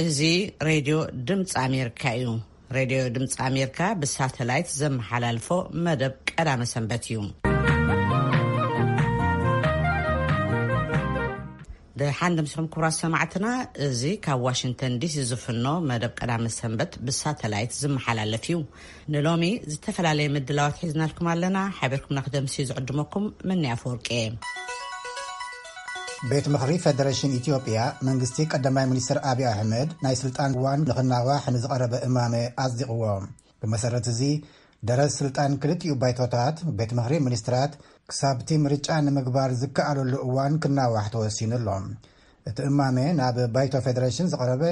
እዚ ሬድዮ ድምፂ ኣሜሪካ እዩ። ሬድዮ ድምፂ ኣሜሪካ ብሳተላይት ዘመሓላልፎ መደብ ቀዳመ ሰንበት እዩ። ደሓን ደምሲኹም ክቡራት ሰማዕትና፣ እዚ ካብ ዋሽንግተን ዲሲ ዝፍኖ መደብ ቀዳመ ሰንበት ብሳተላይት ዝመሓላለፍ እዩ። ንሎሚ ዝተፈላለየ ምድላዋት ሒዝናልኩም ኣለና። ሓቢርኩምና ክደምሲ ዝዕድመኩም መኒ ኣፈወርቂ እየ። ቤት ምኽሪ ፌደሬሽን ኢትዮጵያ መንግስቲ ቀዳማይ ሚኒስትር ኣብይ ኣሕመድ ናይ ስልጣን እዋን ንኽናዋሕ ንዝቐረበ እማመ ኣጽዲቕዎ። ብመሰረት እዚ ደረት ስልጣን ክልቲኡ ባይቶታት ቤት ምኽሪ ሚኒስትራት ክሳብቲ ምርጫ ንምግባር ዝከኣለሉ እዋን ክናዋሕ ተወሲኑ ኣሎ። እቲ እማመ ናብ ባይቶ ፌደሬሽን ዝቐረበ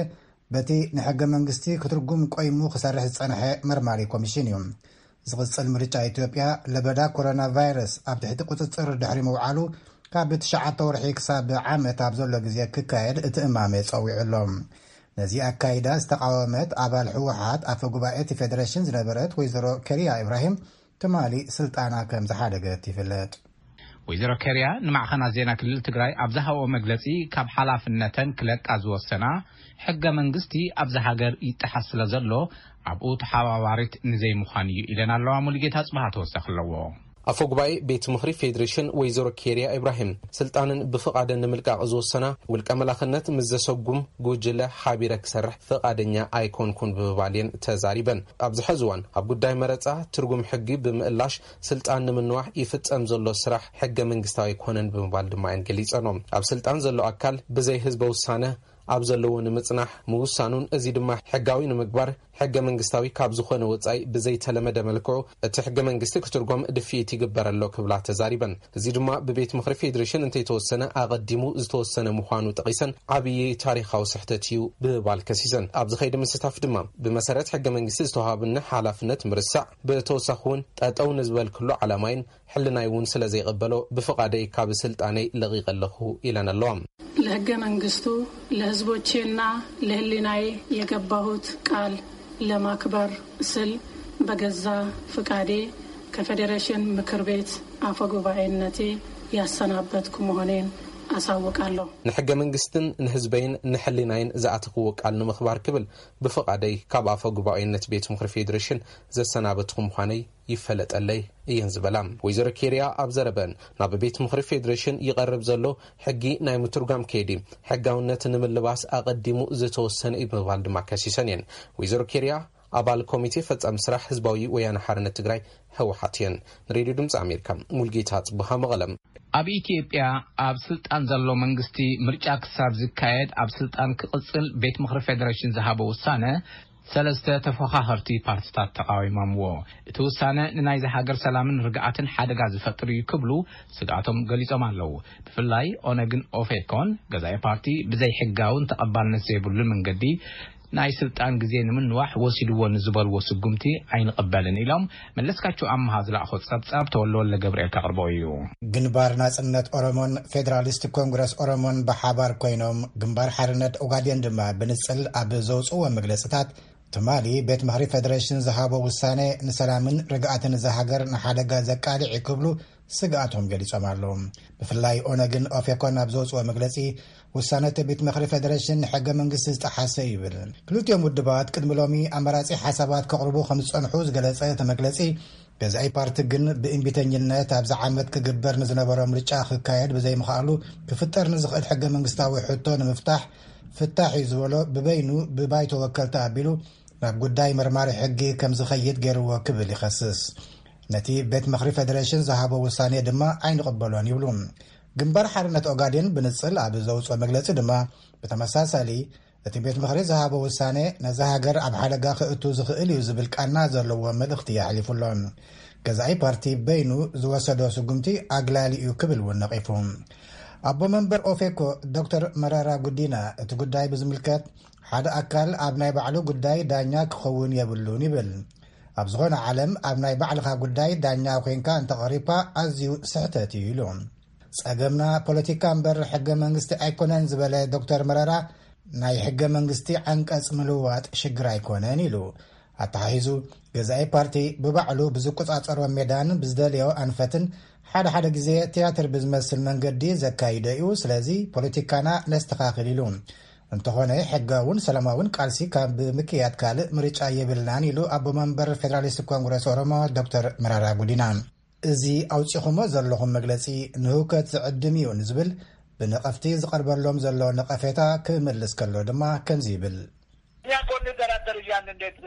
በቲ ንሕገ መንግስቲ ክትርጉም ቆይሙ ክሰርሕ ዝጸንሐ መርማሪ ኮሚሽን እዩ። ዝቕጽል ምርጫ ኢትዮጵያ ለበዳ ኮሮና ቫይረስ ኣብ ትሕቲ ቁጽጽር ድሕሪ ምውዓሉ ካብ ትሽዓተ ወርሒ ክሳብ ዓመት ኣብ ዘሎ ግዜ ክካየድ እቲ እማመ ጸዊዑ ኣሎ። ነዚ ኣካይዳ ዝተቃወመት ኣባል ህወሓት ኣፈ ጉባኤ እቲ ፌደሬሽን ዝነበረት ወይዘሮ ከሪያ ኢብራሂም ትማሊ ስልጣና ከም ዝሓደገት ይፍለጥ። ወይዘሮ ከሪያ ንማዕኸናት ዜና ክልል ትግራይ ኣብ ዝሃብኦ መግለጺ፣ ካብ ሓላፍነተን ክለቃ ዝወሰና ሕገ መንግስቲ ኣብዚ ሃገር ይጠሓስ ስለ ዘሎ ኣብኡ ተሓባባሪት ንዘይምዃን እዩ ኢለን ኣለዋ። ሙሉጌታ ጽባሃ ተወሳኺ ኣለዎ። ኣፈ ጉባኤ ቤት ምኽሪ ፌዴሬሽን ወይዘሮ ኬሪያ ኢብራሂም ስልጣንን ብፍቓደን ንምልቃቕ ዝወሰና ውልቀ መላኽነት ምስ ዘሰጉም ጉጅለ ሓቢረ ክሰርሕ ፍቓደኛ ኣይኮንኩን ብምባል እየን ተዛሪበን። ኣብዚ ሕዚ እዋን ኣብ ጉዳይ መረፃ ትርጉም ሕጊ ብምእላሽ ስልጣን ንምንዋሕ ይፍጸም ዘሎ ስራሕ ሕገ መንግስታዊ ኣይኮነን ብምባል ድማ እየን ገሊጸኖም። ኣብ ስልጣን ዘሎ ኣካል ብዘይ ህዝበ ውሳነ ኣብ ዘለዎ ንምጽናሕ ምውሳኑን እዚ ድማ ሕጋዊ ንምግባር ሕገ መንግስታዊ ካብ ዝኾነ ወጻኢ ብዘይተለመደ መልክዑ እቲ ሕገ መንግስቲ ክትርጎም ድፍኢት ይግበር ኣሎ ክብላ ተዛሪበን። እዚ ድማ ብቤት ምኽሪ ፌዴሬሽን እንተይተወሰነ ኣቐዲሙ ዝተወሰነ ምዃኑ ጠቒሰን ዓብዪ ታሪኻዊ ስሕተት እዩ ብምባል ከሲሰን። ኣብዚ ኸይዲ ምስታፍ ድማ ብመሰረት ሕገ መንግስቲ ዝተዋሃብኒ ሓላፍነት ምርሳዕ፣ ብተወሳኺ እውን ጠጠው ንዝበልክሉ ዓላማይን ሕልናይ እውን ስለ ዘይቐበሎ ብፍቓደይ ካብ ስልጣነይ ለቒቐ ኣለኹ ኢለን ኣለዋ። ለሕገ መንግስቱ፣ ለህዝቦቼና ለህሊናዬ የገባሁት ቃል ለማክበር ስል በገዛ ፍቃዴ ከፌዴሬሽን ምክር ቤት አፈ ጉባኤነቴ ያሰናበትኩ መሆኔን አሳውቃለሁ። ንሕገ መንግስትን ንህዝበይን ንሕሊናይን ዝኣተኽዎ ቃል ንምኽባር ክብል ብፍቓደይ ካብ ኣፈ ጉባኤነት ቤት ምኽሪ ፌዴሬሽን ዘሰናበትኩ ምዃነይ ይፈለጠለይ እየን ዝበላ ወይዘሮ ኬርያ ኣብ ዘረበን፣ ናብ ቤት ምኽሪ ፌዴሬሽን ይቐርብ ዘሎ ሕጊ ናይ ምትርጓም ከይዲ ሕጋውነት ንምልባስ ኣቐዲሙ ዝተወሰነ እዩ ብምባል ድማ ከሲሰን እየን። ወይዘሮ ኬርያ ኣባል ኮሚቴ ፈጻሚ ስራሕ ህዝባዊ ወያነ ሓርነት ትግራይ፣ ህወሓት እየን። ንሬድዮ ድምፂ ኣሜሪካ ሙልጌታ ጽቡሃ መቐለም። ኣብ ኢትዮጵያ ኣብ ስልጣን ዘሎ መንግስቲ ምርጫ ክሳብ ዝካየድ ኣብ ስልጣን ክቕጽል ቤት ምኽሪ ፌዴሬሽን ዝሃቦ ውሳነ ሰለስተ ተፎኻኸርቲ ፓርቲታት ተቓዊሞምዎ። እቲ ውሳነ ንናይዚ ሃገር ሰላምን ርግኣትን ሓደጋ ዝፈጥር እዩ ክብሉ ስግኣቶም ገሊጾም ኣለዉ። ብፍላይ ኦነግን ኦፌኮን ገዛኢ ፓርቲ ብዘይ ሕጋውን ተቐባልነት ዘይብሉ መንገዲ ናይ ስልጣን ግዜ ንምንዋሕ ወሲድዎ ንዝበልዎ ስጉምቲ ኣይንቕበልን ኢሎም። መለስካቸው ኣምሃ ዝለኣኾ ጸብጻብ ተወልደ ወልደ ገብርኤል ከቕርቦ እዩ። ግንባር ናጽነት ኦሮሞን ፌዴራሊስት ኮንግረስ ኦሮሞን ብሓባር ኮይኖም ግንባር ሓርነት ኦጋዴን ድማ ብንጽል ኣብ ዘውጽእዎ መግለጽታት ትማሊ ቤት ምኽሪ ፌዴሬሽን ዝሃቦ ውሳነ ንሰላምን ርግኣትን እዛ ሃገር ንሓደጋ ዘቃልዕ እዩ ክብሉ ስግኣቶም ገሊጾም ኣለዉ። ብፍላይ ኦነግን ኦፌኮን ኣብ ዘውጽኦ መግለጺ ውሳነ እቲ ቤት ምኽሪ ፌዴሬሽን ንሕገ መንግስቲ ዝጠሓሰ እዩ ይብል። ክልቲኦም ውድባት ቅድሚ ሎሚ ኣማራጺ ሓሳባት ከቕርቡ ከም ዝጸንሑ ዝገለጸ እቲ መግለጺ ገዛኢ ፓርቲ ግን ብእምቢተኝነት ኣብዚ ዓመት ክግበር ንዝነበሮ ምርጫ ክካየድ ብዘይምኽኣሉ ክፍጠር ንዝኽእል ሕገ መንግስታዊ ሕቶ ንምፍታሕ ፍታሕ እዩ ዝበሎ ብበይኑ ብባይቶ ወከልቲ ኣቢሉ ናብ ጉዳይ መርማሪ ሕጊ ከም ዝኸይድ ገይርዎ ክብል ይኸስስ። ነቲ ቤት ምኽሪ ፌዴሬሽን ዝሃቦ ውሳኔ ድማ ኣይንቕበሎን ይብሉ። ግንባር ሓርነት ኦጋዴን ብንጽል ኣብ ዘውፅኦ መግለጺ ድማ ብተመሳሳሊ እቲ ቤት ምኽሪ ዝሃቦ ውሳኔ ነዛ ሃገር ኣብ ሓደጋ ክእቱ ዝኽእል እዩ ዝብል ቃና ዘለዎ መልእኽቲ የሕሊፉ ኣሎ። ገዛኢ ፓርቲ በይኑ ዝወሰዶ ስጉምቲ ኣግላሊ እዩ ክብል እውን ነቒፉ። ኣቦ መንበር ኦፌኮ ዶክተር መረራ ጉዲና እቲ ጉዳይ ብዝምልከት ሓደ ኣካል ኣብ ናይ ባዕሉ ጉዳይ ዳኛ ክኸውን የብሉን ይብል። ኣብ ዝኾነ ዓለም ኣብ ናይ ባዕልኻ ጉዳይ ዳኛ ኮይንካ እንተቐሪብካ ኣዝዩ ስሕተት እዩ ኢሉ። ጸገምና ፖለቲካ እምበር ሕገ መንግስቲ ኣይኮነን ዝበለ ዶክተር መረራ ናይ ሕገ መንግስቲ ዓንቀጽ ምልዋጥ ሽግር ኣይኮነን ኢሉ። ኣተሓሒዙ ገዛኢ ፓርቲ ብባዕሉ ብዝቆጻጸሮ ሜዳን ብዝደለዮ ኣንፈትን ሓደ ሓደ ግዜ ትያትር ብዝመስል መንገዲ ዘካይዶ እዩ። ስለዚ ፖለቲካና ነስተኻኽል ኢሉ። እንተኾነ፣ ሕጋውን ሰላማውን ቃልሲ ካብ ምክያድ ካልእ ምርጫ የብልናን ኢሉ ኣቦ መንበር ፌደራሊስት ኮንግረስ ኦሮሞ ዶክተር መራራ ጉዲና። እዚ ኣውጺኹሞ ዘለኹም መግለጺ ንህውከት ዝዕድም እዩ ንዝብል ብነቐፍቲ ዝቐርበሎም ዘሎ ነቐፌታ ክምልስ ከሎ ድማ ከምዚ ይብል። እኛ እኮ እንደራደር እያልን እንዴት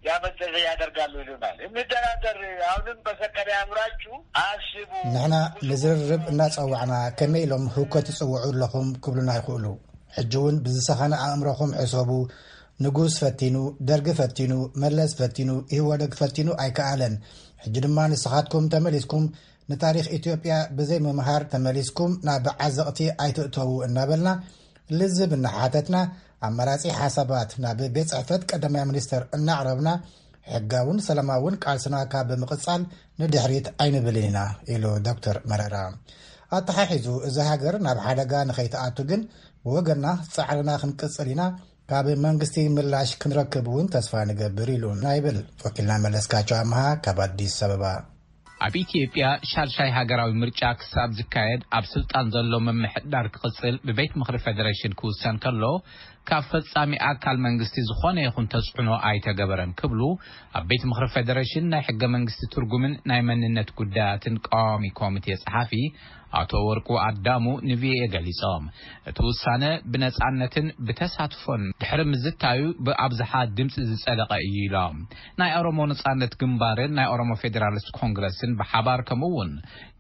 ያመዘዘ ያደርጋሉ ይሉናል። እንደራደር፣ አሁንም በሰከነ አእምሯችሁ አስቡ። ንሕና ንዝርርብ እናጸዋዕና ከመይ ኢሎም ህውከት ትጽውዑ ኣለኹም ክብሉና ይኽእሉ። ሕጂ እውን ብዝሰኸነ ኣእምሮኹም ሕሰቡ። ንጉስ ፈቲኑ፣ ደርጊ ፈቲኑ፣ መለስ ፈቲኑ፣ ኢህወደግ ፈቲኑ ኣይከኣለን። ሕጂ ድማ ንስኻትኩም ተመሊስኩም ንታሪኽ ኢትዮጵያ ብዘይ ምምሃር ተመሊስኩም ናብ ዓዘቕቲ ኣይትእተዉ እናበልና ልዝብ እናሓተትና ኣማራጺ ሓሳባት ናብ ቤት ጽሕፈት ቀዳማይ ሚኒስተር እናቕረብና ሕጋውን ሰላማውን ቃልስና ካብ ብምቕጻል ንድሕሪት ኣይንብልን ኢና ኢሉ ዶክተር መረራ። ኣተሓሒዙ እዚ ሃገር ናብ ሓደጋ ንኸይትኣቱ ግን ብወገና ጻዕርና ክንቅጽል ኢና፣ ካብ መንግስቲ ምላሽ ክንረክብ እውን ተስፋ ንገብር ኢሉ ናይብል ወኪልና መለስካቸው ኣምሃ ካብ ኣዲስ ኣበባ። ኣብ ኢትዮጵያ ሻልሻይ ሃገራዊ ምርጫ ክሳብ ዝካየድ ኣብ ስልጣን ዘሎ ምምሕዳር ክቕጽል ብቤት ምኽሪ ፌደሬሽን ክውሰን ከሎ ካብ ፈጻሚ ኣካል መንግስቲ ዝኾነ ይኹን ተጽዕኖ ኣይተገበረን ክብሉ ኣብ ቤት ምኽሪ ፌደሬሽን ናይ ሕገ መንግስቲ ትርጉምን ናይ መንነት ጉዳያትን ቀዋሚ ኮሚቴ ጸሓፊ ኣቶ ወርቁ ኣዳሙ ንቪኦኤ ገሊጾም። እቲ ውሳነ ብነጻነትን ብተሳትፎን ድሕሪ ምዝታዩ ብኣብዝሓ ድምጺ ዝጸደቐ እዩ ኢሎም። ናይ ኦሮሞ ነጻነት ግንባርን ናይ ኦሮሞ ፌዴራሊስት ኮንግረስን ብሓባር ከምኡ እውን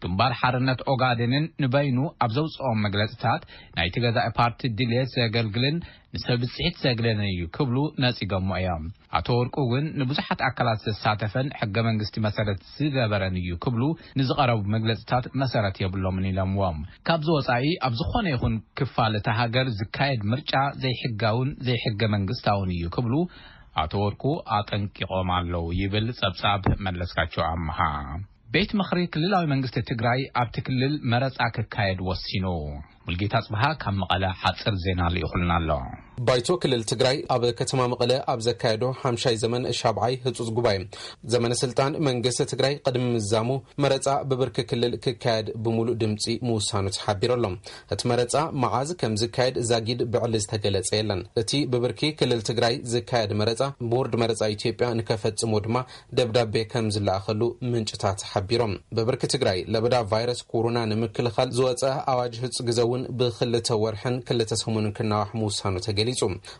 ግንባር ሓርነት ኦጋዴንን ንበይኑ ኣብ ዘውፅኦም መግለፅታት ናይቲ ገዛኢ ፓርቲ ድልየት ዘገልግልን ንሰብ ብፅሒት ዘግለልን እዩ ክብሉ ነፂጎሞ እዮም። ኣቶ ወርቁ እውን ንብዙሓት ኣካላት ዘሳተፈን ሕገ መንግስቲ መሰረት ዝገበረን እዩ ክብሉ ንዝቐረቡ መግለፅታት መሰረት የብሎምን ኢሎምዎም። ካብዚ ወፃኢ ኣብ ዝኾነ ይኹን ክፋል እታ ሃገር ዝካየድ ምርጫ ዘይሕጋውን ዘይሕገ መንግስታውን እዩ ክብሉ ኣቶ ወርቁ ኣጠንቂቖም ኣለዉ ይብል ጸብጻብ መለስካቸው ኣምሃ። ቤት ምኽሪ ክልላዊ መንግስቲ ትግራይ ኣብቲ ክልል መረጻ ክካየድ ወሲኑ። ሙልጌታ ጽብሃ ካብ መቐለ ሓጽር ዜና ልኢኹልና ኣሎ። ባይቶ ክልል ትግራይ ኣብ ከተማ መቐለ ኣብ ዘካየዶ ሓምሻይ ዘመን ሻብዓይ ህጹጽ ጉባኤ ዘመነ ስልጣን መንግስቲ ትግራይ ቅድሚ ምዛሙ መረጻ ብብርኪ ክልል ክካየድ ብምሉእ ድምጺ ምውሳኑ ተሓቢሩ ኣሎ። እቲ መረጻ መዓዝ ከም ዝካየድ ዛጊድ ብዕሊ ዝተገለጸ የለን። እቲ ብብርኪ ክልል ትግራይ ዝካየድ መረጻ ቦርድ መረጻ ኢትዮጵያ ንከፈጽሞ ድማ ደብዳቤ ከም ዝለኣኸሉ ምንጭታት ሓቢሮም። ብብርኪ ትግራይ ለበዳ ቫይረስ ኮሮና ንምክልኻል ዝወጸ ኣዋጅ ህጹ ግዘ እውን ብክልተ ወርሕን ክልተ ሰሙንን ክናዋሕ ምውሳኑ ተገሊጹ።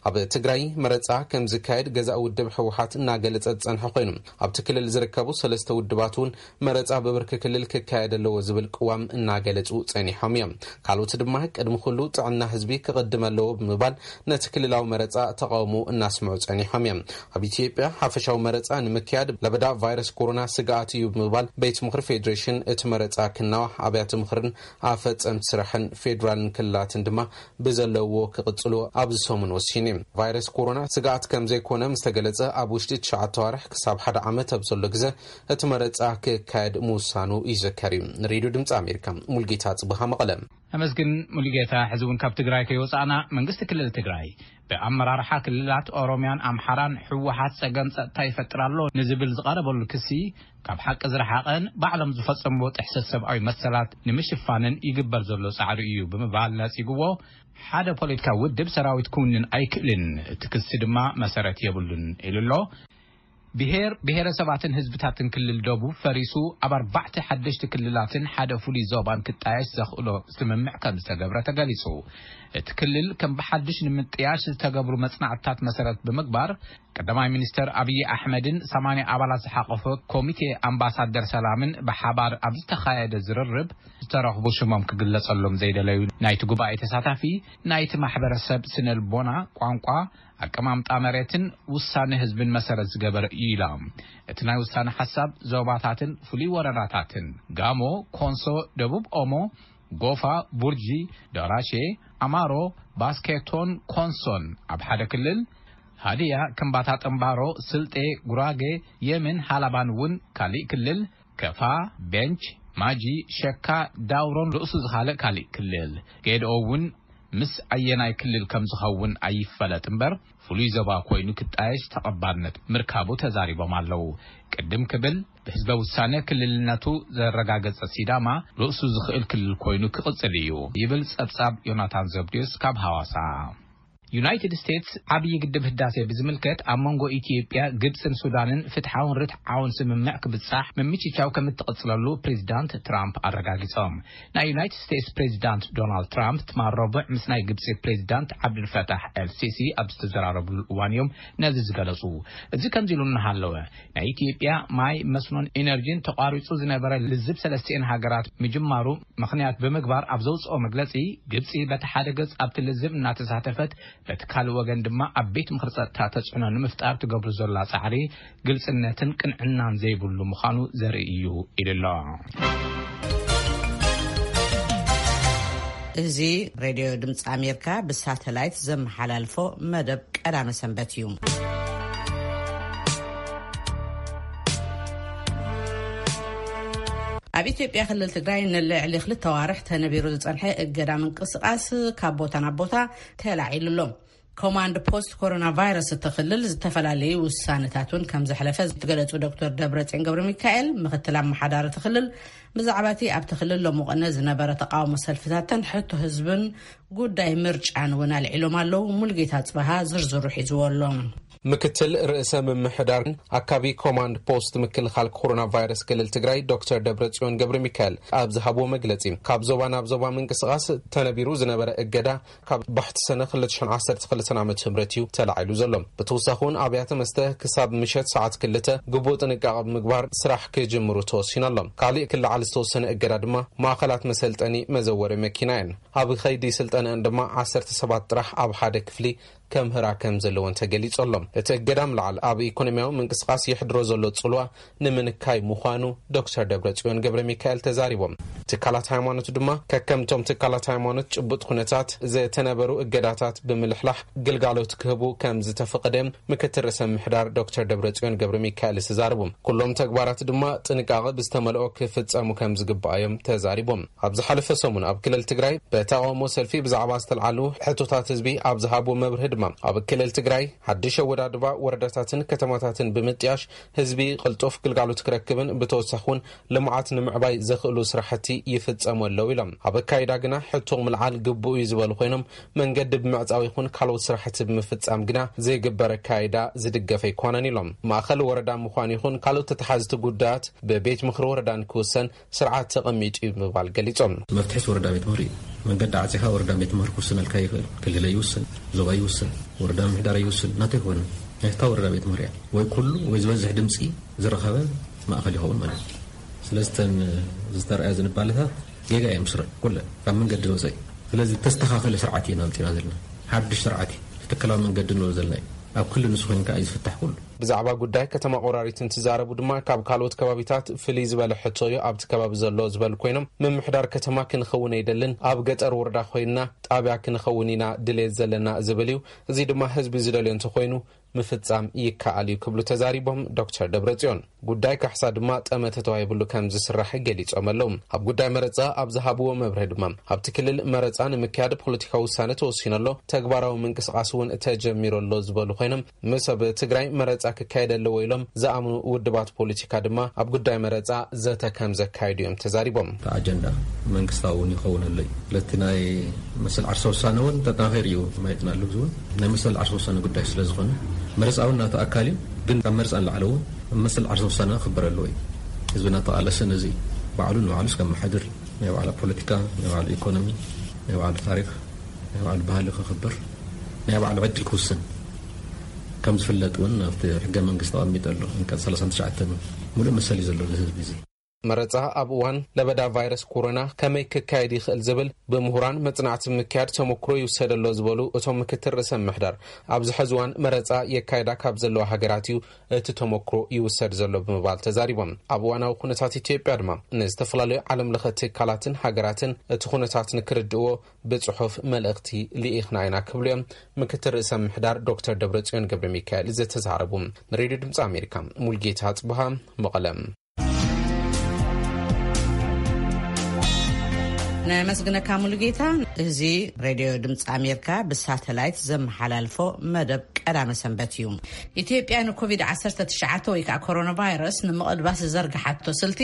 ኣብ ትግራይ መረጻ ከም ዝካየድ ገዛኢ ውድብ ህወሓት እናገለጸ ዝጸንሐ ኮይኑ፣ ኣብቲ ክልል ዝርከቡ ሰለስተ ውድባት እውን መረጻ ብብርኪ ክልል ክካየድ ኣለዎ ዝብል ቅዋም እናገለጹ ጸኒሖም እዮም። ካልኦት ድማ ቅድሚ ኩሉ ጥዕና ህዝቢ ክቕድም ኣለዎ ብምባል ነቲ ክልላዊ መረጻ ተቓውሞ እናስምዑ ጸኒሖም እዮም። ኣብ ኢትዮጵያ ሓፈሻዊ መረጻ ንምክያድ ለበዳ ቫይረስ ኮሮና ስግኣት እዩ ብምባል ቤት ምኽሪ ፌዴሬሽን እቲ መረጻ ክናዋሕ ኣብያተ ምኽርን ኣፈጸምቲ ስራሕን ፌዴራልን ክልላትን ድማ ብዘለዎ ክቕጽሉ ኣብዚ ሰሙን ወሲኑ እዩ። ቫይረስ ኮሮና ስግኣት ከም ዘይኮነ ምስ ተገለጸ ኣብ ውሽጢ ትሽዓተ ኣዋርሕ ክሳብ ሓደ ዓመት ኣብ ዘሎ ግዘ እቲ መረጻ ክካየድ ምውሳኑ ይዝከር እዩ። ንሬድዮ ድምፂ ኣሜሪካ ሙልጌታ ጽብሃ መቐለ። ኣመስግን ሙሉጌታ። ሕዚ እውን ካብ ትግራይ ከይወፃእና መንግስቲ ክልል ትግራይ ብኣመራርሓ ክልላት ኦሮሚያን ኣምሓራን ህወሓት ፀገም ፀጥታ ይፈጥር ኣሎ ንዝብል ዝቐረበሉ ክሲ ካብ ሓቂ ዝረሓቐን ባዕሎም ዝፈፀምዎ ጥሕሰት ሰብኣዊ መሰላት ንምሽፋንን ይግበር ዘሎ ፃዕሪ እዩ ብምባል ነፂግዎ። ሓደ ፖለቲካዊ ውድብ ሰራዊት ክውንን ኣይክእልን፣ እቲ ክሲ ድማ መሰረት የብሉን ኢሉ ኣሎ። ብሄር ብሄረሰባትን ህዝብታትን ክልል ደቡብ ፈሪሱ ኣብ ኣርባዕተ ሓደሽቲ ክልላትን ሓደ ፍሉይ ዞባን ክጣየሽ ዘኽእሎ ስምምዕ ከም ዝተገብረ ተገሊጹ። እቲ ክልል ከም ብሓድሽ ንምጥያሽ ዝተገብሩ መጽናዕትታት መሰረት ብምግባር ቀዳማይ ሚኒስተር ኣብዪ ኣሕመድን ሰማንያ ኣባላት ዝሓቆፈ ኮሚቴ ኣምባሳደር ሰላምን ብሓባር ኣብ ዝተኻየደ ዝርርብ ዝተረኽቡ ሽሞም ክግለጸሎም ዘይደለዩ ናይቲ ጉባኤ ተሳታፊ ናይቲ ማሕበረሰብ ስነልቦና፣ ቋንቋ፣ ኣቀማምጣ መሬትን ውሳነ ህዝብን መሰረት ዝገበረ እዩ ኢሎም። እቲ ናይ ውሳነ ሓሳብ ዞባታትን ፍሉይ ወረዳታትን ጋሞ፣ ኮንሶ፣ ደቡብ ኦሞ፣ ጎፋ፣ ቡርጂ፣ ደራሼ፣ ኣማሮ፣ ባስኬቶን ኮንሶን ኣብ ሓደ ክልል፣ ሃዲያ፣ ከምባታ ጠምባሮ፣ ስልጤ፣ ጉራጌ፣ የምን ሃላባን እውን ካሊእ ክልል፣ ከፋ፣ ቤንች፣ ማጂ፣ ሸካ፣ ዳውሮን ርእሱ ዝኻልእ ካሊእ ክልል፣ ጌድኦ እውን ምስ ኣየናይ ክልል ከም ዝኸውን ኣይፈለጥ እምበር ፍሉይ ዞባ ኮይኑ ክጣየሽ ተቐባልነት ምርካቡ ተዛሪቦም ኣለዉ። ቅድም ክብል ብህዝበ ውሳነ ክልልነቱ ዘረጋገጸ ሲዳማ ርእሱ ዝኽእል ክልል ኮይኑ ክቕጽል እዩ ይብል ጸብጻብ ዮናታን ዘብድዮስ ካብ ሃዋሳ። ዩናይትድ ስቴትስ ዓብዪ ግድብ ህዳሴ ብዝምልከት ኣብ መንጎ ኢትዮጵያ፣ ግብፅን ሱዳንን ፍትሓውን ርትዓውን ስምምዕ ክብፃሕ ምምችቻው ከም እትቕፅለሉ ፕሬዚዳንት ትራምፕ ኣረጋጊፆም። ናይ ዩናይትድ ስቴትስ ፕሬዚዳንት ዶናልድ ትራምፕ ትማል ረቡዕ ምስ ናይ ግብፂ ፕሬዚዳንት ዓብዱልፈታሕ ኤል ሲሲ ኣብ ዝተዘራረብሉ እዋን እዮም ነዚ ዝገለፁ። እዚ ከምዚ ኢሉ እናሃለወ፣ ናይ ኢትዮጵያ ማይ፣ መስኖን ኢነርጂን ተቋሪፁ ዝነበረ ልዝብ ሰለስቲኤን ሃገራት ምጅማሩ ምኽንያት ብምግባር ኣብ ዘውፅኦ መግለፂ፣ ግብፂ በቲ ሓደ ገፅ ኣብቲ ልዝብ እናተሳተፈት፣ በቲ ካልእ ወገን ድማ ኣብ ቤት ምኽሪ ጸጥታ ተጽዕኖ ንምፍጣር ትገብሩ ዘላ ጻዕሪ ግልጽነትን ቅንዕናን ዘይብሉ ምዃኑ ዘርኢ እዩ ኢሉ ኣሎ። እዚ ሬድዮ ድምፂ ኣሜሪካ ብሳተላይት ዘመሓላልፎ መደብ ቀዳመ ሰንበት እዩ። ኣብ ኢትዮጵያ ክልል ትግራይ ንልዕሊ ክልተ ዋርሕ ተነቢሩ ዝጸንሐ እገዳ ምንቅስቓስ ካብ ቦታ ናብ ቦታ ተላዒሉ ኣሎ። ኮማንድ ፖስት ኮሮና ቫይረስ እቲ ክልል ዝተፈላለዩ ውሳነታት እውን ከም ዘሕለፈ ዝገለጹ ዶክተር ደብረጽዮን ገብረ ሚካኤል፣ ምክትል ኣመሓዳሪ እቲ ክልል፣ ብዛዕባ እቲ ኣብቲ ክልል ሎምቕነ ዝነበረ ተቃውሞ ሰልፍታትን ሕቶ ህዝብን ጉዳይ ምርጫን እውን ኣልዒሎም ኣለዉ። ሙልጌታ ጽበሃ ዝርዝሩ ሒዝዎ ኣሎ። ምክትል ርእሰ ምምሕዳር ኣካቢ ኮማንድ ፖስት ምክልኻል ኮሮና ቫይረስ ክልል ትግራይ ዶክተር ደብረጽዮን ገብረ ሚካኤል ኣብ ዝሃብዎ መግለጺ፣ ካብ ዞባ ናብ ዞባ ምንቅስቓስ ተነቢሩ ዝነበረ እገዳ ካብ ባሕቲ ሰነ ክልተ ሽሕን ዓሰርተ ክልተን ዓመተ ምህረት እዩ ተላዒሉ ዘሎ። ብተወሳኺ እውን ኣብያተ መስተ ክሳብ ምሸት ሰዓት ክልተ ግቡእ ጥንቃቐ ብምግባር ስራሕ ክጅምሩ ተወሲኑ ኣሎ። ካሊእ ክለዓል ዝተወሰነ እገዳ ድማ ማእኸላት መሰልጠኒ መዘወሪ መኪና እየን። ኣብ ከይዲ ስልጠነአን ድማ ዓሰርተ ሰባት ጥራሕ ኣብ ሓደ ክፍሊ ከምህራ ከም ዘለወን ተገሊጹ ኣሎ። እቲ እገዳ ምልዓል ኣብ ኢኮኖሚያዊ ምንቅስቓስ የሕድሮ ዘሎ ጽልዋ ንምንካይ ምዃኑ ዶክተር ደብረጽዮን ገብረ ሚካኤል ተዛሪቦም። ትካላት ሃይማኖት ድማ ከከምቶም ትካላት ሃይማኖት ጭቡጥ ኩነታት ዝተነበሩ እገዳታት ብምልሕላሕ ግልጋሎት ክህቡ ከም ዝተፈቐደ ምክትል ርእሰ ምሕዳር ዶክተር ደብረጽዮን ገብረ ሚካኤል ተዛሪቦም። ኩሎም ተግባራት ድማ ጥንቃቐ ብዝተመልኦ ክፍጸሙ ከም ዝግባእ እዮም ተዛሪቦም። ኣብ ዝሓለፈ ሰሙን ኣብ ክልል ትግራይ ብተቃውሞ ሰልፊ ብዛዕባ ዝተልዓሉ ሕቶታት ህዝቢ ኣብ ዝሃብዎ መብርሂ ድማ፣ ኣብ ክልል ትግራይ ሓድሽ ኣወዳድባ ወረዳታትን ከተማታትን ብምጥያሽ ህዝቢ ቅልጡፍ ግልጋሎት ክረክብን ብተወሳኺ እውን ልምዓት ንምዕባይ ዘኽእሉ ስራሕቲ ይፍጸሙ ኣለዉ ኢሎም። ኣብ ኣካይዳ ግና ሕቶ ምልዓል ግቡእ እዩ ዝበሉ ኮይኖም፣ መንገዲ ብምዕጻው ይኹን ካልኦት ስራሕቲ ብምፍጻም ግና ዘይግበር ኣካይዳ ዝድገፍ ኣይኮነን ኢሎም። ማእኸል ወረዳ ምዃን ይኹን ካልኦት ተተሓዝቲ ጉዳያት ብቤት ምኽሪ ወረዳ ንክውሰን ስርዓት ተቐሚጡ እዩ ብምባል ገሊጾም። መፍትሒ ወረዳ ቤት ምኽሪ እዩ። መንገዲ ዓጺኻ ወረዳ ቤት ምኽሪ ክውስነልካ ይኽእል። ክልል ይውስን፣ ዞባ ይውስን፣ ወረዳ ምምሕዳር ይውስን፣ ናተይ ክኾን ናይታ ወረዳ ቤት ምኽሪ እያ። ወይ ኩሉ ወይ ዝበዝሕ ድምፂ ዝረኸበ ማእኸል ይኸውን ማለት እዩ። ስለዚ እተን ዝተረኣያ ዝንባለታት ጌጋ እዮም ስረ ኩለን ካብ መንገዲ ዝወፀ እዩ። ስለዚ ተስተኻኸለ ስርዓት እዩ ናምፂና ዘለና። ሓድሽ ስርዓት እዩ። ትክክላዊ መንገዲ ንብሎ ዘለና እዩ። ኣብ ክልል ንሱ ኮይንካ እዩ ዝፍታሕ ኩሉ። ብዛዕባ ጉዳይ ከተማ ቆራሪት እንትዛረቡ ድማ፣ ካብ ካልኦት ከባቢታት ፍልይ ዝበለ ሕቶ እዩ ኣብቲ ከባቢ ዘሎ ዝበሉ ኮይኖም፣ ምምሕዳር ከተማ ክንኸውን ኣይደልን፣ ኣብ ገጠር ወረዳ ኮይንና ጣብያ ክንኸውን ኢና ድሌት ዘለና ዝብል እዩ። እዚ ድማ ህዝቢ ዝደልዮ እንተኮይኑ ምፍጻም ይከኣል እዩ ክብሉ ተዛሪቦም ዶክተር ደብረጽዮን። ጉዳይ ካሕሳ ድማ ጠመተ ተዋሂብሉ ከም ዝስራሕ ገሊጾም ኣለዉ። ኣብ ጉዳይ መረጻ ኣብ ዝሃብዎ መብርሂ ድማ፣ ኣብቲ ክልል መረጻ ንምክያድ ፖለቲካዊ ውሳነ ተወሲኑ ኣሎ፣ ተግባራዊ ምንቅስቓስ እውን ተጀሚሩ ኣሎ ዝበሉ ኮይኖም፣ ምስ ኣብ ትግራይ መረጻ ክካየድ ኣለዎ ኢሎም ዝኣምኑ ውድባት ፖለቲካ ድማ ኣብ ጉዳይ መረጻ ዘተ ከም ዘካየዱ እዮም ተዛሪቦም። እቲ ኣጀንዳ መንግስታዊ እውን ይኸውን ኣሎ እዩ። ስለቲ ናይ መሰል ዓርሰ ውሳነ እውን ተጠናኺሩ እዩ ማየትና ኣሎ። እዚ እውን ናይ መሰል ዓርሰ ውሳነ ጉዳይ ስለ ዝኾነ፣ መረጻ እውን ናቱ ኣካል እዩ። ግን ካብ መረጻ ንላዕሊ እውን መሰል ዓርሰ ውሳነ ክኽበር ኣለዎ እዩ። ህዝብና ተቓለሰ ነዚ ባዕሉ ንባዕሉ እስከ መሓድር፣ ናይ ባዕሉ ፖለቲካ፣ ናይ ባዕሉ ኢኮኖሚ፣ ናይ ባዕሉ ታሪኽ፣ ናይ ባዕሉ ባህሊ ክኽበር፣ ናይ ባዕሉ ዕድል ክውስን ከም ዝፍለጥ እውን ኣብቲ ሕገ መንግስቲ ተቐሚጡ ኣሎ። ኣንቀጽ ሰላሳን ትሽዓተን እውን ሙሉእ መሰል እዩ ዘሎ እዚ ህዝቢ እዚ። መረጻ ኣብ እዋን ለበዳ ቫይረስ ኮሮና ከመይ ክካየድ ይኽእል ዝብል ብምሁራን መጽናዕቲ ምክያድ ተመክሮ ይውሰድ ኣሎ ዝበሉ እቶም ምክትል ርእሰ ምምሕዳር፣ ኣብዚ ሕዚ እዋን መረጻ የካይዳ ካብ ዘለዋ ሃገራት እዩ እቲ ተመክሮ ይውሰድ ዘሎ ብምባል ተዛሪቦም። ኣብ እዋናዊ ኩነታት ኢትዮጵያ ድማ ንዝተፈላለዩ ዓለም ለኸ ትካላትን ሃገራትን እቲ ኩነታት ንክርድእዎ ብጽሑፍ መልእኽቲ ልኢኽና ኢና ክብሉ እዮም ምክትል ርእሰ ምምሕዳር ዶክተር ደብረጽዮን ገብረ ሚካኤል ዝተዛረቡ። ንሬድዮ ድምፂ ኣሜሪካ ሙልጌታ ጽቡሃ መቐለ። ነመስግነካ ሙሉጌታ። እዚ ሬድዮ ድምፂ ኣሜሪካ ብሳተላይት ዘመሓላልፎ መደብ ቀዳመ ሰንበት እዩ። ኢትዮጵያ ንኮቪድ ዓሰርተ ትሽዓተ ወይ ከዓ ኮሮና ቫይረስ ንምቕልባስ ዝዘርግሓቶ ስልቲ፣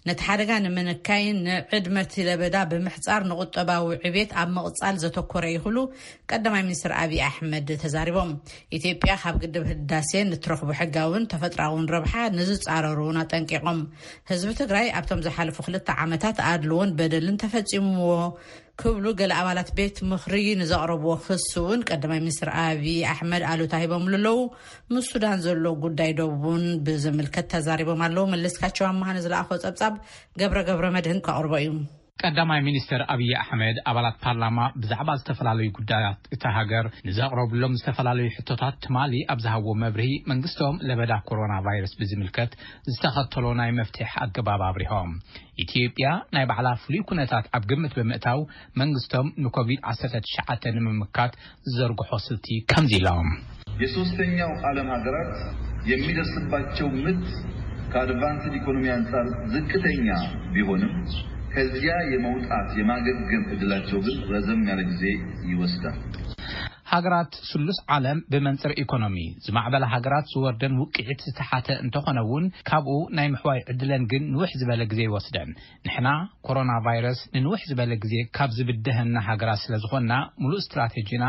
ነቲ ሓደጋ ንምንካይን ንዕድመ እቲ ለበዳ ብምሕፃር ንቁጠባዊ ዕቤት ኣብ ምቕፃል ዘተኮረ እዩ ክብሉ ቀዳማይ ሚኒስትር ኣብይ ኣሕመድ ተዛሪቦም። ኢትዮጵያ ካብ ግድብ ህዳሴ ንትረኽቦ ሕጋውን ተፈጥራውን ረብሓ ንዝፃረሩ እውን ኣጠንቂቖም። ህዝቢ ትግራይ ኣብቶም ዝሓለፉ ክልተ ዓመታት ኣድልዎን በደልን ተፈፂምዎ ክብሉ ገለ ኣባላት ቤት ምኽሪ ንዘቕረብዎ ክሲ እውን ቀዳማይ ሚኒስትር ኣብይ ኣሕመድ ኣሉታ ሂቦምሉ ኣለዉ። ምስ ሱዳን ዘሎ ጉዳይ ዶብ እውን ብዝምልከት ተዛሪቦም ኣለዉ። መለስካቸው ኣማሃ ንዝለኣኾ ጸብጻብ ገብረ ገብረ መድህን ከቕርቦ እዩ። ቀዳማይ ሚኒስትር ኣብይ ኣሕመድ ኣባላት ፓርላማ ብዛዕባ ዝተፈላለዩ ጉዳያት እታ ሃገር ንዘቕረብሎም ዝተፈላለዩ ሕቶታት ትማሊ ኣብ ዝሃብዎ መብርሂ፣ መንግስቶም ለበዳ ኮሮና ቫይረስ ብዝምልከት ዝተኸተሎ ናይ መፍትሒ ኣገባብ ኣብሪሆም። ኢትዮጵያ ናይ ባዕላ ፍሉይ ኩነታት ኣብ ግምት ብምእታው፣ መንግስቶም ንኮቪድ ዓሰርተ ትሽዓተ ንምምካት ዝዘርግሖ ስልቲ ከምዚ ኢሎም። የሶስተኛው ዓለም ሀገራት የሚደርስባቸው ምት ከአድቫንስድ ኢኮኖሚ አንጻር ዝቅተኛ ቢሆንም፣ ከዚያ የመውጣት የማገገም እድላቸው ግን ረዘም ያለ ጊዜ ይወስዳል። ሃገራት ስሉስ ዓለም ብመንጽር ኢኮኖሚ ዝማዕበላ ሃገራት ዝወርደን ውቅዒት ዝተሓተ እንተኾነ እውን፣ ካብኡ ናይ ምሕዋይ ዕድለን ግን ንውሕ ዝበለ ግዜ ይወስደን። ንሕና ኮሮና ቫይረስ ንንውሕ ዝበለ ግዜ ካብ ዝብደሀና ሃገራት ስለ ዝኾንና፣ ሙሉእ ስትራቴጂና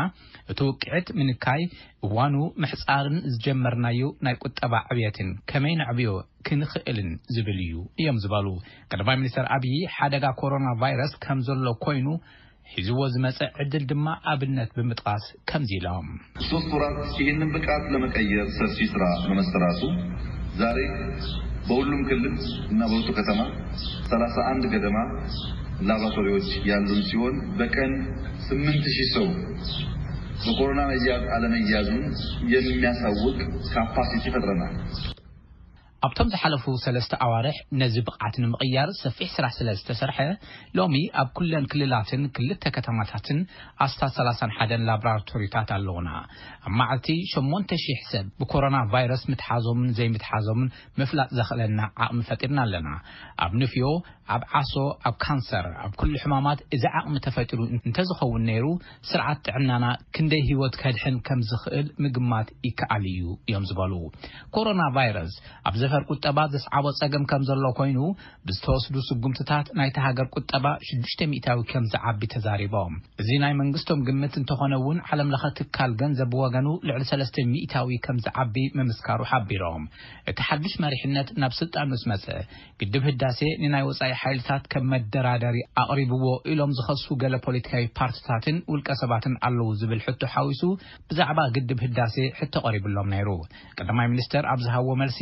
እቲ ውቅዒት ምንካይ፣ እዋኑ ምሕጻርን ዝጀመርናዮ ናይ ቁጠባ ዕብየትን ከመይ ነዕብዮ ክንኽእልን ዝብል እዩ እዮም ዝበሉ። ቀዳማይ ሚኒስትር ኣብይ፣ ሓደጋ ኮሮና ቫይረስ ከም ዘሎ ኮይኑ፣ ሒዝዎ ዝመጸ ዕድል ድማ ኣብነት ብምጥቃስ ከምዚ ኢሎም። ሶስት ወራት ይህንን ብቃት ለመቀየር ሰፊ ስራ በመሰራቱ፣ ዛሬ በሁሉም ክልል እና በሁለቱ ከተማ ሠላሳ አንድ ገደማ ላቦራቶሪዎች ያሉን ሲሆን፣ በቀን ስምንት ሺህ ሰው በኮሮና መያዝ አለመያዙን የሚያሳውቅ ካፓሲቲ ፈጥረናል። ኣብቶም ዝሓለፉ ሰለስተ ኣዋርሕ ነዚ ብቕዓት ንምቕያር ሰፊሕ ስራሕ ስለ ዝተሰርሐ፣ ሎሚ ኣብ ኩለን ክልላትን ክልተ ከተማታትን ኣስታት ሰላሳን ሓደን ላቦራቶሪታት ኣለዉና። ኣብ መዓልቲ ሸሞንተ ሺሕ ሰብ ብኮሮና ቫይረስ ምትሓዞምን ዘይምትሓዞምን ምፍላጥ ዘኽእለና ዓቕሚ ፈጢርና ኣለና። ኣብ ንፍዮ፣ ኣብ ዓሶ፣ ኣብ ካንሰር፣ ኣብ ኩሉ ሕማማት እዚ ዓቕሚ ተፈጢሩ እንተዝኸውን ነይሩ፣ ስርዓት ጥዕናና ክንደይ ህይወት ከድሕን ከም ዝኽእል ምግማት ይከኣል እዩ እዮም ዝበሉ። ኮሮና ቫይረስ ኣብ ዘፈር ቁጠባ ዘስዓቦ ጸገም ከም ዘሎ ኮይኑ፣ ብዝተወስዱ ስጉምትታት ናይታ ሃገር ቁጠባ ሽዱሽተ ሚእታዊ ከም ዝዓቢ ተዛሪቦም። እዚ ናይ መንግስቶም ግምት እንተኾነ እውን፣ ዓለም ለኸ ትካል ገንዘብ ብወገኑ ልዕሊ ሰለስተ ሚእታዊ ከም ዝዓቢ ምምስካሩ ሓቢሮም። እቲ ሓድሽ መሪሕነት ናብ ስልጣን ምስ መጸ፣ ግድብ ህዳሴ ንናይ ወጻኢ ሓይልታት ከም መደራደሪ ኣቕሪብዎ ኢሎም ዝኸሱ ገለ ፖለቲካዊ ፓርቲታትን ውልቀ ሰባትን ኣለዉ ዝብል ሕቶ ሓዊሱ፣ ብዛዕባ ግድብ ህዳሴ ሕቶ ቀሪብሎም ነይሩ። ቀዳማይ ሚኒስተር ኣብ ዝሃብዎ መልሲ፣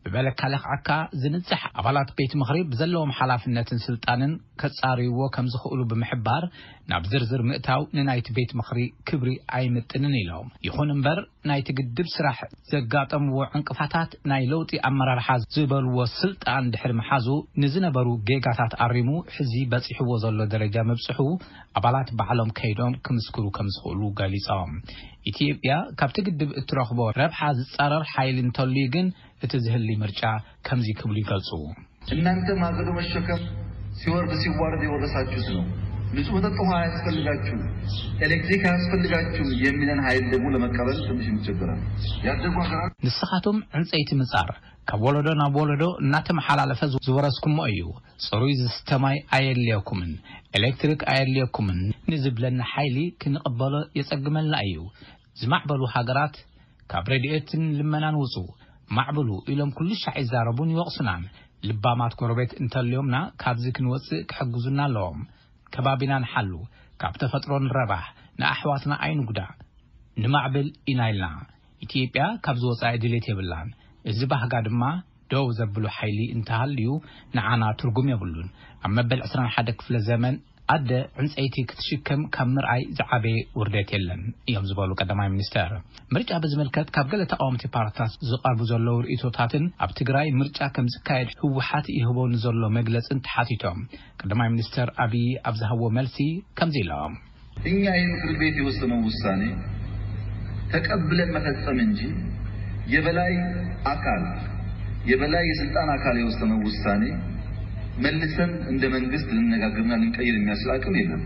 ብበለካ ለኽዓካ ዝንጻሕ ኣባላት ቤት ምኽሪ ብዘለዎም ሓላፍነትን ስልጣንን ከጻርይዎ ከም ዝኽእሉ ብምሕባር፣ ናብ ዝርዝር ምእታው ንናይቲ ቤት ምኽሪ ክብሪ ኣይምጥንን ኢሎም። ይኹን እምበር፣ ናይቲ ግድብ ስራሕ ዘጋጠምዎ ዕንቅፋታት ናይ ለውጢ ኣመራርሓ ዝበልዎ ስልጣን ድሕሪ ምሓዙ፣ ንዝነበሩ ጌጋታት ኣሪሙ ሕዚ በጺሕዎ ዘሎ ደረጃ ምብጽሑ ኣባላት ባዕሎም ከይዶም ክምስክሩ ከም ዝኽእሉ ገሊጾም። ኢትዮጵያ ካብቲ ግድብ እትረኽቦ ረብሓ ዝጻረር ሓይሊ እንተልዩ ግን፣ እቲ ዝህሊ ምርጫ ከምዚ ክብሉ ይገልጹ። እናንተ ማገዶ መሸከም ሲወርድ ሲዋረድ የወረሳችሁት ነው። ንጹህ መጠጥ ውሃ አያስፈልጋችሁም፣ ኤሌክትሪክ አያስፈልጋችሁም የሚለን ኃይል ደግሞ ለመቀበል ትንሽ እንቸገራለን። ያደጉ ሀገራት ንስኻቶም ዕንጸይቲ ምጻር፣ ካብ ወለዶ ናብ ወለዶ እናተመሓላለፈ ዝወረስኩሞ እዩ። ጽሩይ ዝስተ ማይ ኣየድልየኩምን፣ ኤሌክትሪክ ኣየድልየኩምን ንዝብለና ሓይሊ ክንቕበሎ የጸግመልና እዩ። ዝማዕበሉ ሃገራት ካብ ረድኤትን ልመናን ውጹ፣ ማዕብሉ ኢሎም ኩሉ ሻዕ ይዛረቡን ይወቕሱናን። ልባማት ጎረቤት እንተልዮምና ካብዚ ክንወጽእ ክሕግዙና ኣለዎም። ከባቢና ንሓሉ፣ ካብ ተፈጥሮ ንረባሕ፣ ንኣሕዋትና ኣይንጉዳእ፣ ንማዕብል ኢና ኢልና። ኢትዮጵያ ካብዚ ወጻኢ ድሌት የብላን። እዚ ባህጋ ድማ ደው ዘብሉ ሓይሊ እንተሃልዩ ንዓና ትርጉም የብሉን። ኣብ መበል ዕስራን ሓደ ክፍለ ዘመን ኣደ ዕንጸይቲ ክትሽከም ካብ ምርኣይ ዝዓበየ ውርደት የለን እዮም ዝበሉ ቀዳማይ ሚኒስተር። ምርጫ ብዝምልከት ካብ ገለ ተቃወምቲ ፓርትታት ዝቐርቡ ዘለዉ ርእይቶታትን ኣብ ትግራይ ምርጫ ከም ዝካየድ ህወሓት ይህቦ ንዘሎ መግለጽን ተሓቲቶም፣ ቀዳማይ ሚኒስተር ኣብይ ኣብ ዝሃብዎ መልሲ ከምዚ ኢሎም። እኛ የምክር ቤት የወሰነው ውሳኔ ተቀብለን መፈጸም እንጂ የበላይ አካል፣ የበላይ የስልጣን አካል የወሰነው ውሳኔ መልሰን እንደ መንግስት ልንነጋገርና ልንቀይር የሚያስችል አቅም የለም።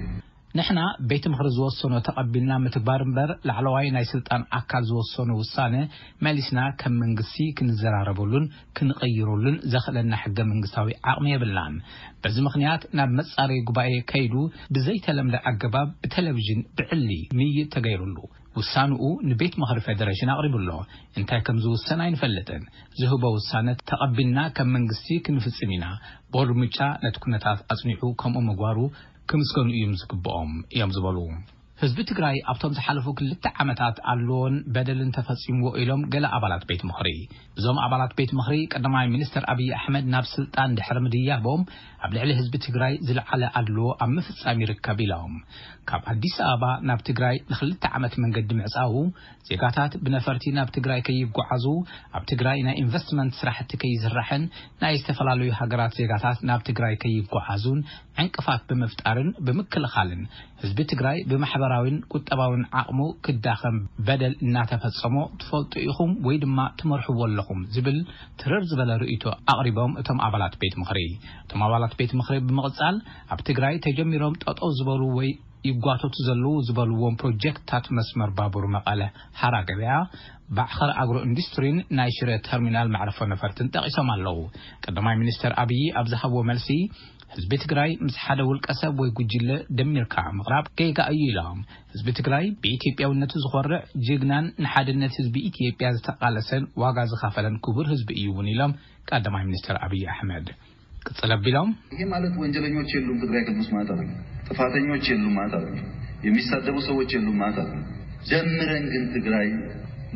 ንሕና ቤት ምኽሪ ዝወሰኖ ተቐቢልና ምትግባር እምበር፣ ላዕለዋይ ናይ ስልጣን ኣካል ዝወሰኖ ውሳነ መሊስና ከም መንግስቲ ክንዘራረበሉን ክንቕይረሉን ዘኽእለና ሕገ መንግስታዊ ዓቕሚ የብልናን። በዚ ምኽንያት ናብ መጻረዪ ጉባኤ ከይዱ ብዘይተለምደ ኣገባብ ብቴሌቪዥን ብዕሊ ምይይጥ ተገይሩሉ። ውሳንኡ ንቤት ምኽሪ ፌደሬሽን ኣቕሪቡ ኣሎ። እንታይ ከም ዝውሰን ኣይንፈልጥን። ዝህቦ ውሳነ ተቐቢልና ከም መንግስቲ ክንፍጽም ኢና። ቦርድ ምርጫ ነቲ ኩነታት ኣጽኒዑ ከምኡ ምግባሩ ክምስገኑ እዮም ዝግብኦም እዮም ዝበሉ። ህዝቢ ትግራይ ኣብቶም ዝሓለፉ ክልተ ዓመታት ኣድልዎን በደልን ተፈጺምዎ ኢሎም ገለ ኣባላት ቤት ምኽሪ። እዞም ኣባላት ቤት ምኽሪ ቀዳማይ ሚኒስትር ኣብይ ኣሕመድ ናብ ስልጣን ድሕሪ ምድያቦም ኣብ ልዕሊ ህዝቢ ትግራይ ዝለዓለ ኣድልዎ ኣብ ምፍጻም ይርከብ ኢሎም። ካብ ኣዲስ ኣበባ ናብ ትግራይ ንክልተ ዓመት መንገዲ ምዕጻዉ፣ ዜጋታት ብነፈርቲ ናብ ትግራይ ከይጓዓዙ፣ ኣብ ትግራይ ናይ ኢንቨስትመንት ስራሕቲ ከይስራሕን ናይ ዝተፈላለዩ ሃገራት ዜጋታት ናብ ትግራይ ከይጓዓዙን ዕንቅፋት ብምፍጣርን ብምክልኻልን ህዝቢ ትግራይ ብማሕበራዊን ቁጠባዊን ዓቕሙ ክዳኸም በደል እናተፈጸሞ ትፈልጡ ኢኹም ወይ ድማ ትመርሕዎ ኣለኹም ዝብል ትርር ዝበለ ርእይቶ ኣቕሪቦም እቶም ኣባላት ቤት ምኽሪ። እቶም ኣባላት ቤት ምኽሪ ብምቕጻል ኣብ ትግራይ ተጀሚሮም ጠጠው ዝበሉ ወይ ይጓተቱ ዘለዉ ዝበልዎም ፕሮጀክትታት መስመር ባቡር መቐለ ሓራ ገበያ፣ ባዕኸር ኣግሮ ኢንዱስትሪን ናይ ሽረ ተርሚናል መዕረፎ ነፈርትን ጠቒሶም ኣለዉ። ቀዳማይ ሚኒስትር ኣብይ ኣብ ዝሃብዎ መልሲ፣ ህዝቢ ትግራይ ምስ ሓደ ውልቀ ሰብ ወይ ጉጅለ ደሚርካ ምቕራብ ጌጋ እዩ ኢሎም። ህዝቢ ትግራይ ብኢትዮጵያውነቱ ዝኾርዕ ጅግናን ንሓድነት ህዝቢ ኢትዮጵያ ዝተቓለሰን ዋጋ ዝኸፈለን ክቡር ህዝቢ እዩ እውን ኢሎም ቀዳማይ ሚኒስትር ኣብይ ኣሕመድ። ቅጽል ኣቢሎም፣ ይሄ ማለት ወንጀለኞች የሉም ትግራይ ክልል ውስጥ ማለት አይደለም። ጥፋተኞች የሉም ማለት አይደለም። የሚሳደቡ ሰዎች የሉም ማለት አይደለም። ደምረን ግን ትግራይ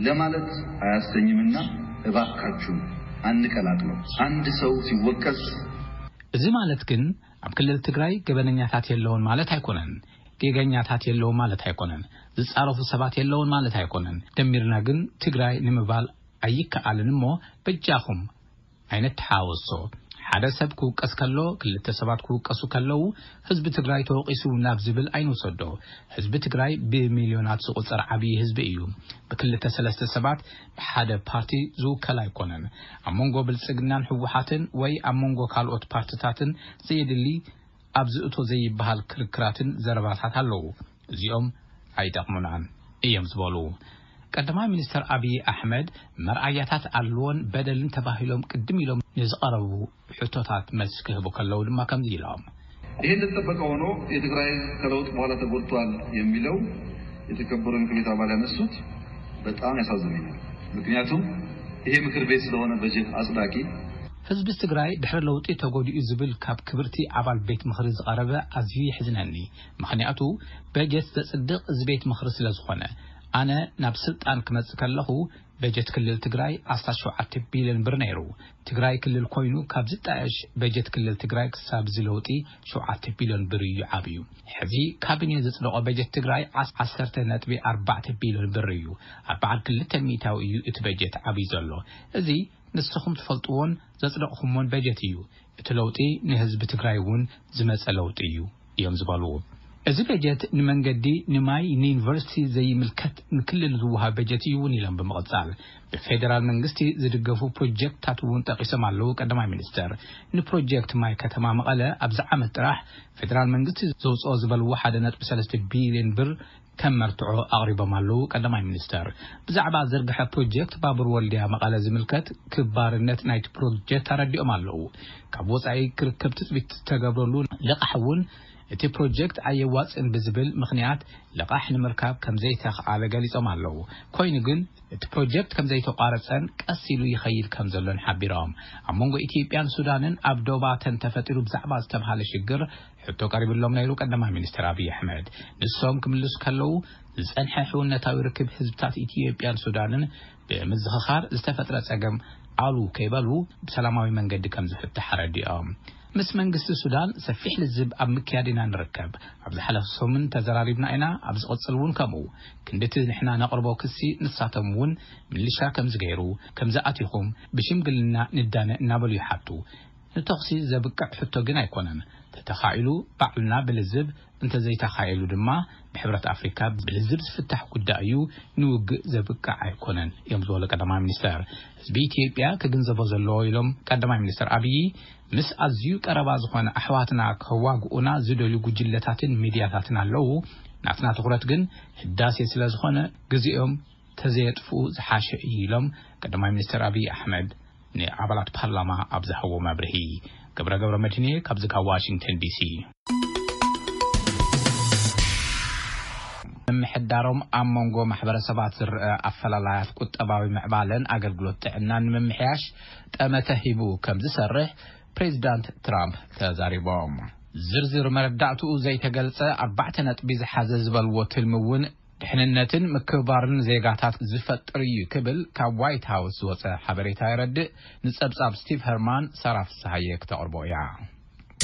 ለማለት አያሰኝምና እባካችሁ አንቀላቅለው። አንድ ሰው ሲወቀስ እዚ ማለት ግን ኣብ ክልል ትግራይ ገበነኛታት የለውን ማለት ኣይኮነን። ጌገኛታት የለውን ማለት ኣይኮነን። ዝጻረፉ ሰባት የለውን ማለት ኣይኮነን። ደሚርና ግን ትግራይ ንምባል ኣይከኣልን እሞ በጃኹም ኣይነተሓወሶ። ሓደ ሰብ ክውቀስ ከሎ፣ ክልተ ሰባት ክውቀሱ ከለዉ፣ ህዝቢ ትግራይ ተወቂሱ ናብ ዝብል ኣይንውሰዶ። ህዝቢ ትግራይ ብሚልዮናት ዝቑጸር ዓብዪ ህዝቢ እዩ። ብክልተ ሰለስተ ሰባት ብሓደ ፓርቲ ዝውከል ኣይኮነን። ኣብ መንጎ ብልጽግናን ህወሓትን ወይ ኣብ መንጎ ካልኦት ፓርትታትን ዘየድሊ ኣብ ዝእቶ ዘይበሃል ክርክራትን ዘረባታት ኣለዉ። እዚኦም ኣይጠቕሙናን እዮም ዝበሉ ቀዳማይ ሚኒስትር ኣብይ ኣሕመድ፣ መርኣያታት ኣድልዎን በደልን ተባሂሎም ቅድም ኢሎም ንዝቐረቡ ሕቶታት መልሲ ክህቡ ከለዉ ድማ ከምዚ ኢሎም። ይሄ እንደተጠበቀ ሆኖ የትግራይ ከለውጥ በኋላ ተጎድቷል የሚለው የተከበሩ የምክር ቤት አባል ያነሱት በጣም ያሳዝነኛል። ምክንያቱም ይሄ ምክር ቤት ስለሆነ በጀት አጽዳቂ። ህዝቢ ትግራይ ድሕሪ ለውጢ ተጎዲኡ ዝብል ካብ ክብርቲ ኣባል ቤት ምኽሪ ዝቐረበ ኣዝዩ የሕዝነኒ። ምኽንያቱ በጀት ዘጽድቕ እዚ ቤት ምኽሪ ስለ ዝኾነ። ኣነ ናብ ስልጣን ክመጽእ ከለኹ በጀት ክልል ትግራይ ኣስታት ሸውዓተ ቢልዮን ብር ነይሩ። ትግራይ ክልል ኮይኑ ካብ ዝጣየሽ በጀት ክልል ትግራይ ክሳብ እዚ ለውጢ ሸውዓተ ቢልዮን ብር እዩ ዓብዩ። ሕዚ ካቢኔ ዘጽደቖ በጀት ትግራይ ዓስ-፣ ዓሰርተ ነጥቢ ኣርባዕተ ቢልዮን ብር እዩ። ኣርባዓን ክልተ ሚእታዊ እዩ እቲ በጀት ዓብዩ ዘሎ። እዚ ንስኹም ትፈልጥዎን ዘጽደቕኹምዎን በጀት እዩ። እቲ ለውጢ ንህዝቢ ትግራይ እውን ዝመጸ ለውጢ እዩ እዮም ዝበሉ። እዚ በጀት ንመንገዲ፣ ንማይ፣ ንዩኒቨርሲቲ ዘይምልከት ንክልል ዝወሃብ በጀት እዩ እውን ኢሎም ብምቕጻል፣ ብፌደራል መንግስቲ ዝድገፉ ፕሮጀክትታት እውን ጠቒሶም ኣለዉ ቀዳማይ ሚኒስተር። ንፕሮጀክት ማይ ከተማ መቐለ ኣብዚ ዓመት ጥራሕ ፌደራል መንግስቲ ዘውፅኦ ዝበልዎ ሓደ ነጥቢ ሰለስተ ቢልዮን ብር ከም መርትዖ ኣቕሪቦም ኣለዉ ቀዳማይ ሚኒስተር። ብዛዕባ ዝርግሐ ፕሮጀክት ባቡር ወልድያ መቐለ ዝምልከት ክባርነት ናይቲ ፕሮጀክት ኣረዲኦም ኣለዉ። ካብ ወፃኢ ክርከብ ትፅቢት ዝተገብረሉ ልቓሕ እውን እቲ ፕሮጀክት ኣየዋፅእን ብዝብል ምኽንያት ልቓሕ ንምርካብ ከም ዘይተኽኣለ ገሊፆም ኣለዉ። ኮይኑ ግን እቲ ፕሮጀክት ከም ዘይተቋረፀን ቀስ ኢሉ ይኸይድ ከም ዘሎን ሓቢሮም። ኣብ መንጎ ኢትዮጵያን ሱዳንን ኣብ ዶባተን ተፈጢሩ ብዛዕባ ዝተብሃለ ሽግር ሕቶ ቀሪብሎም ነይሩ ቀዳማይ ሚኒስትር ኣብይ ኣሕመድ። ንሶም ክምልሱ ከለዉ ዝፀንሐ ሕውነታዊ ርክብ ህዝብታት ኢትዮጵያን ሱዳንን ብምዝኽኻር ዝተፈጥረ ፀገም ኣሉ ከይበሉ ብሰላማዊ መንገዲ ከም ዝፍታሕ ኣረዲኦም። ምስ መንግስቲ ሱዳን ሰፊሕ ልዝብ ኣብ ምክያድ ኢና ንርከብ። ኣብ ዝሓለፈ ሰሙን ተዘራሪብና ኢና፣ ኣብ ዝቕጽል እውን ከምኡ። ክንድቲ ንሕና ነቕርቦ ክሲ ንሳቶም እውን ምልሻ ከም ዝገይሩ፣ ከም ዝኣቲኹም ብሽምግልና ንዳነ እናበሉ ይሓቱ። ንተኹሲ ዘብቅዕ ሕቶ ግን ኣይኮነን። ተተኻኢሉ ባዕልና ብልዝብ፣ እንተዘይተኻኢሉ ድማ ብሕብረት ኣፍሪካ ብልዝብ ዝፍታሕ ጉዳይ እዩ። ንውግእ ዘብቅዕ ኣይኮነን እዮም ዝበሉ ቀዳማይ ሚኒስተር። ህዝቢ ኢትዮጵያ ክግንዘቦ ዘለዎ ኢሎም ቀዳማይ ሚኒስተር ኣብዪ፣ ምስ ኣዝዩ ቀረባ ዝኾነ ኣሕዋትና ከዋግኡና ዝደልዩ ጉጅለታትን ሚድያታትን ኣለዉ። ናትና ትኹረት ግን ህዳሴ ስለ ዝኾነ ግዜኦም ተዘየጥፍኡ ዝሓሸ እዩ ኢሎም ቀዳማይ ሚኒስተር ኣብዪ ኣሕመድ ንኣባላት ፓርላማ ኣብ ዝሃብዎ መብርሂ። ገብረ ገብረ መድህንየ ካብዚ ካብ ዋሽንግተን ዲሲ። ምምሕዳሮም ኣብ መንጎ ማሕበረሰባት ዝረአ ኣፈላላያት ቁጠባዊ ምዕባለን ኣገልግሎት ጥዕናን ንምምሕያሽ ጠመተ ሂቡ ከም ዝሰርሕ ፕሬዚዳንት ትራምፕ ተዛሪቦም። ዝርዝር መረዳእትኡ ዘይተገልጸ ኣርባዕተ ነጥቢ ዝሓዘ ዝበልዎ ትልሚ እውን ድሕንነትን ምክብባርን ዜጋታት ዝፈጥር እዩ ክብል ካብ ዋይት ሃውስ ዝወጸ ሓበሬታ የረድእ። ንጸብጻብ ስቲቭ ሄርማን ሳራ ፍስሃየ ክተቕርቦ እያ።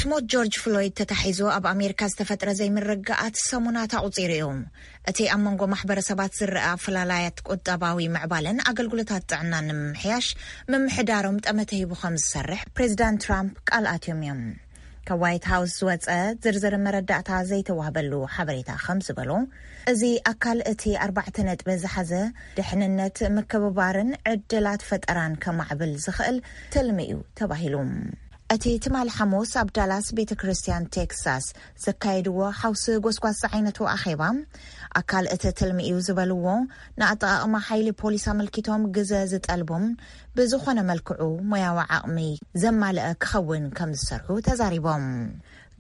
ሞት ጆርጅ ፍሎይድ ተታሒዙ ኣብ ኣሜሪካ ዝተፈጥረ ዘይምርግጋኣት ሰሙናት ኣቑጺሩ እዩ። እቲ ኣብ መንጎ ማሕበረሰባት ዝረኣ ኣፈላላያት ቁጠባዊ ምዕባለን ኣገልግሎታት ጥዕናን ንምምሕያሽ ምምሕዳሮም ጠመተ ሂቡ ከም ዝሰርሕ ፕሬዚዳንት ትራምፕ ቃል ኣትዮም እዮም። ካብ ዋይት ሃውስ ዝወጸ ዝርዝር መረዳእታ ዘይተዋህበሉ ሓበሬታ ከም ዝበሎ፣ እዚ ኣካል እቲ ኣርባዕተ ነጥቢ ዝሓዘ ድሕንነት ምክብባርን ዕድላት ፈጠራን ከማዕብል ዝኽእል ትልሚ እዩ ተባሂሉ። እቲ ትማሊ ሓሙስ ኣብ ዳላስ ቤተ ክርስቲያን ቴክሳስ ዘካየድዎ ሓውሲ ጎስጓስ ዝዓይነቱ ኣኼባ፣ ኣካል እቲ ትልሚ እዩ ዝበልዎ ንኣጠቓቕማ ሓይሊ ፖሊስ ኣመልኪቶም ግዘ ዝጠልቡን ብዝኾነ መልክዑ ሞያዊ ዓቕሚ ዘማልአ ክኸውን ከም ዝሰርሑ ተዛሪቦም።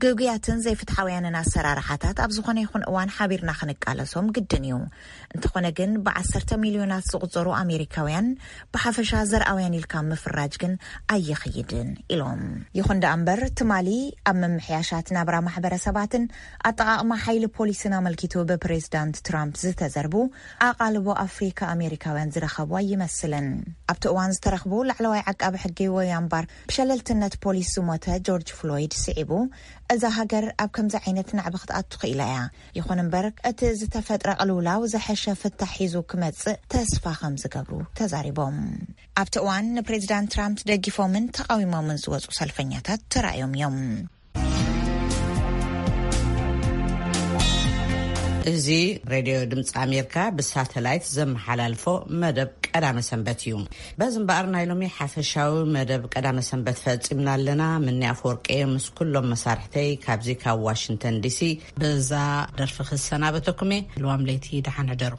ግጉያትን ዘይፍትሓውያንን ኣሰራርሓታት ኣብ ዝኾነ ይኹን እዋን ሓቢርና ክንቃለሶም ግድን እዩ። እንተኾነ ግን ብዓሰርተ ሚልዮናት ዝቑጸሩ ኣሜሪካውያን ብሓፈሻ ዘርኣውያን ኢልካ ምፍራጅ ግን ኣይኽይድን ኢሎም። ይኹን ደኣ እምበር ትማሊ ኣብ ምምሕያሻት ናብራ ማሕበረሰባትን ኣጠቓቕማ ሓይሊ ፖሊስን ኣመልኪቱ ብፕሬዚዳንት ትራምፕ ዝተዘርቡ ኣቓልቦ ኣፍሪካ ኣሜሪካውያን ዝረኸቡ ኣይመስልን። ኣብቲ እዋን ዝተረኽቡ ላዕለዋይ ዓቃቢ ሕጊ ዊልያም ባር ብሸለልትነት ፖሊስ ዝሞተ ጆርጅ ፍሎይድ ስዒቡ እዛ ሃገር ኣብ ከምዚ ዓይነት ናዕቢ ክትኣቱ ክኢላ እያ። ይኹን እምበር እቲ ዝተፈጥረ ቅልውላው ዝሐሸ ፍታሕ ሒዙ ክመጽእ ተስፋ ከም ዝገብሩ ተዛሪቦም። ኣብቲ እዋን ንፕሬዚዳንት ትራምፕ ደጊፎምን ተቃዊሞምን ዝወጹ ሰልፈኛታት ተራእዮም እዮም። እዚ ሬድዮ ድምፂ ኣሜሪካ ብሳተላይት ዘመሓላልፎ መደብ ቀዳመ ሰንበት እዩ። በዚ እምበኣር ናይ ሎሚ ሓፈሻዊ መደብ ቀዳመ ሰንበት ፈፂምና ኣለና። ምኒ ኣፈወርቂ ምስ ኩሎም መሳርሕተይ ካብዚ ካብ ዋሽንግተን ዲሲ። በዛ ደርፊ ክሰናበተኩም እየ። ልዋም ለይቲ ደሓን ሕደሩ።